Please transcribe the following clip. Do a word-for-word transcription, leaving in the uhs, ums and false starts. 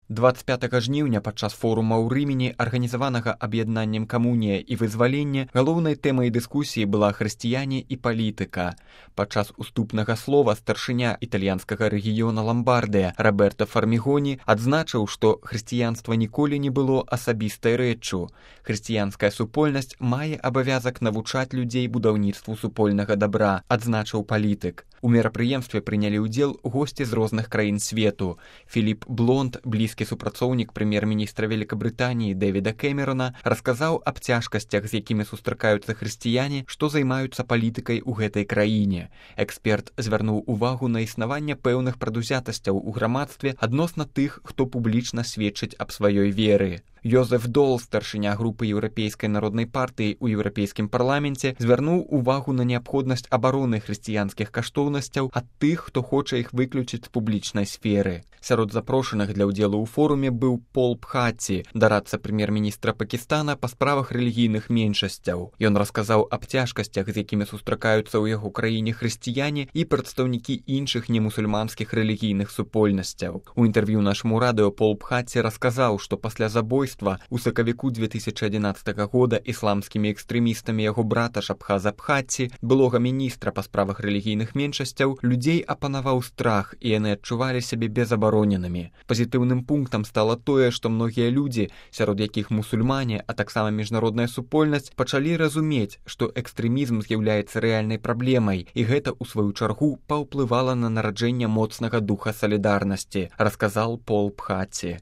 двадцать пятага жніўня падчас форума ў Рымені, арганізаванага аб'яднаннем «Камунія» і «Вызваленне», галоўнай тэмай дыскусіі была хрысціяне і палітыка. Падчас уступнага слова старшыня італьянскага рэгіёна Ламбардыя Роберто Фармігоні адзначыў, што хрысціянства ніколі не было асабістай рэччу. Хрысціянская супольнасць мае абавязак навучаць людзей будаўніцтву супольнага дабра, адзначыў палітык. У мерапрыемстве прынялі ўдзел госці з розных краін свету. Філіп Блонд, блізкі супрацоўнік прэм'ер-міністра Великабрытаніі Дэвіда Кэмерона, расказаў аб цяжкасцях, з якімі сустракаюцца хрысціяне, што займаюцца палітыкай у гэтай краіне. Эксперт звярнуў увагу на існаванне пэўных прадузятасцяў у грамадстве адносна тых, хто публічна сведчыць аб сваёй веры. Йозеф Дол, старшыня групы Еўрапейскай народнай партыі ў Еўрапейскім парламенце, звярнуў увагу на неабходнасць абароны хрысціянскіх каштоўнасцяў ад тых, хто хоча іх выключыць з публічнай сферы. Сярод запрошаных для ўдзелу ў форуме быў Пол Бхатці, дарадца прэм'ер-міністра Пакістана па справах рэлігійных меншасцяў. Ён расказаў аб цяжкасцях, з якімі сустракаюцца ў яго краіне хрысціяне і прадстаўнікі іншых немусульманскіх рэлігійных супольнасцяў. У інтэрв'ю нашаму радыё Пол Бхатці расказаў, што пасля забойства у сакавіку две тысячы адзінаццатага года ісламскімі экстрэмістамі яго брата Шабхаза Бхатці, былога міністра па справах рэлігійных меншасцяў, людзей апанаваў страх, і яны адчувалі сябе безабароненымі. Пазітыўным пунктам стала тое, што многія людзі, сярод якіх мусульмане, а таксама міжнародная супольнасць, пачалі разумець, што экстрэмізм з'яўляецца рэальнай праблемай, і гэта, у сваю чаргу, паўплывала на нараджэнне моцнага духа салідарнасці, расказаў Пол Бхатці.